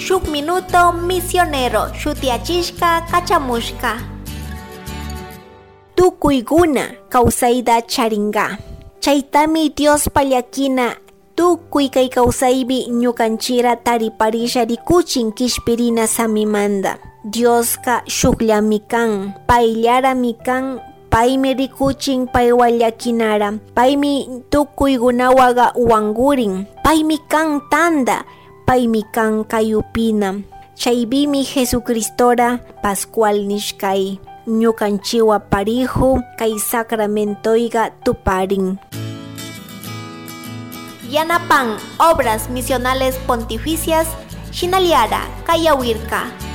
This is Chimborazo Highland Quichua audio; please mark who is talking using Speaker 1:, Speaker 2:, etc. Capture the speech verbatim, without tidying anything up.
Speaker 1: Shuk Minuto Misionero shutiachishka kachamushka. Tukuyguna kawsayta charinga. Chaytami Dios llakina tukuy kay kawsaypi ñukanchira tariparisha rikuchin kishpirina samimanta. Dioska shukllami kan, payllarami kan, paymi rikuchin paywan llakinara, paymi tukuykunawaqa wankurin, paymi kan tanta, paymi kan kayupina. Chaypimi Jesucristora Pascual nishkay ñukanchiwa parihu kay sacramentoyqa tuparin. Yanapan Obras Misionales Pontificias, Shinaliara, Kayawirka.